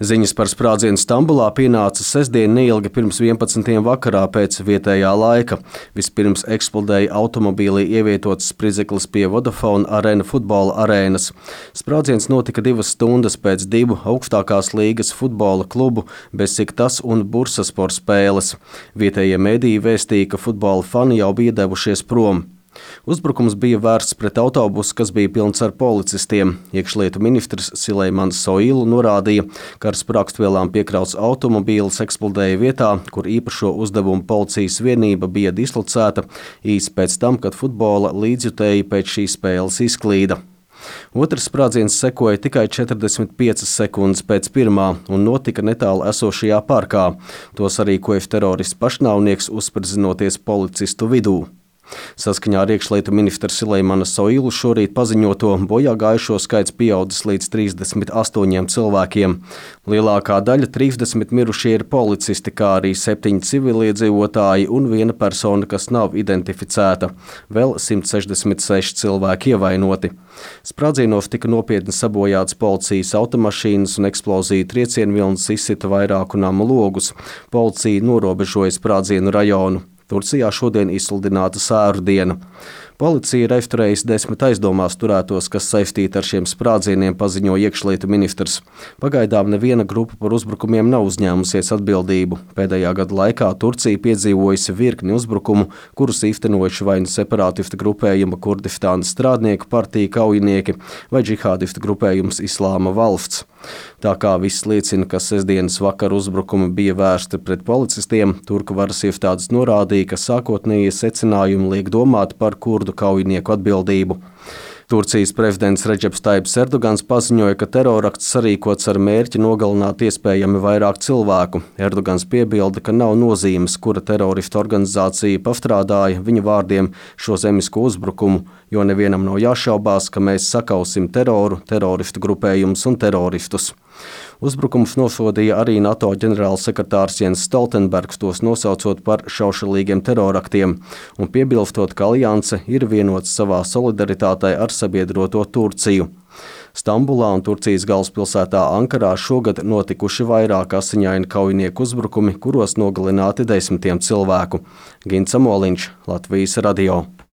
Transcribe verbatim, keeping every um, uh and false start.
Ziņas par sprādzienu Stambulā pienāca sestdien neilgi pirms vienpadsmitiem vakarā pēc vietējā laika. Vispirms eksplodēja automobīlī ievietots spridzeklis pie Vodafone Arena futbola arēnas. Sprādziens notika divas stundas pēc divu augstākās līgas futbola klubu Besiktas un Bursaspor spēles. Vietējie mediji vēstīja, ka futbola fani jau bija devušies prom. Uzbrukums bija vērsts pret autobusu, kas bija pilns ar policistiem. Iekšlietu ministrs Sileimans Soilu norādīja, ka ar sprāgstvielām piekrauts automobīlis eksplodēja vietā, kur īpašo uzdevumu policijas vienība bija dislocēta īsi pēc tam, kad futbola līdzjutēji pēc šīs spēles izklīda. Otrs sprādziens sekoja tikai četrdesmit piecas sekundes pēc pirmā un notika netālu esošajā parkā. To sarīkoja terorists pašnāvnieks, uzspridzinoties policistu vidū. Saskaņā ar iekšlietu ministra Sileimana Soilu šorīt paziņoto bojā gājušo skaits pieaudzis līdz trīsdesmit astoņiem cilvēkiem. Lielākā daļa trīsdesmit mirušie ir policisti, kā arī septiņi civiliedzīvotāji un viena persona, kas nav identificēta. Vēl simt sešdesmit seši cilvēki ievainoti. Sprādzienos tika nopietni sabojāts policijas automašīnas un eksploziju triecienvilnis izsita vairāku namu logus. Policija norobežoja sprādzienu rajonu. Turcijā šodien izsludināta sēru diena. Policija ir aizturējusi desmit aizdomās turētos, kas saistīti ar šiem sprādzieniem, paziņoja iekšlietu ministrs. Pagaidām neviena grupa par uzbrukumiem nav uzņēmusies atbildību. Pēdējā gada laikā Turcija piedzīvojusi virkni uzbrukumu, kurus īstenojuši vai nu separātistu grupējuma Kurdistānas strādnieku partija kaujinieki vai džihādistu grupējums Islāma valsts. Tā kā viss liecina, ka sestdienas vakara uzbrukumi bija vērsti pret policistiem, turku varas iestādes norādīja, ka sākotnējie secinājumi liek domāt par kurdu kaujinieku atbildību. Turcijas prezidents Redžeps Taips Erdogans paziņoja, ka terorakts sarīkots ar mērķi nogalināt iespējami vairāk cilvēku. Erdogans piebilda, ka nav nozīmes, kura teroristu organizācija pastrādāja viņa vārdiem šo zemisko uzbrukumu, jo nevienam nav jāšaubās, ka mēs sakausim teroru, teroristu grupējumus un teroristus. Uzbrukums nosodīja arī NATO ģenerālsekretārs Jens Stoltenbergs, tos nosaucot par šaušalīgiem teroraktiem, un piebilstot, ka alianse ir vienots savā solidaritātei ar sabiedroto Turciju. Stambulā un Turcijas galvaspilsētā Ankarā šogad notikuši vairāk asiņaini kaujinieku uzbrukumi, kuros nogalināti desmitiem cilvēku. Gints Amoliņš, Latvijas radio.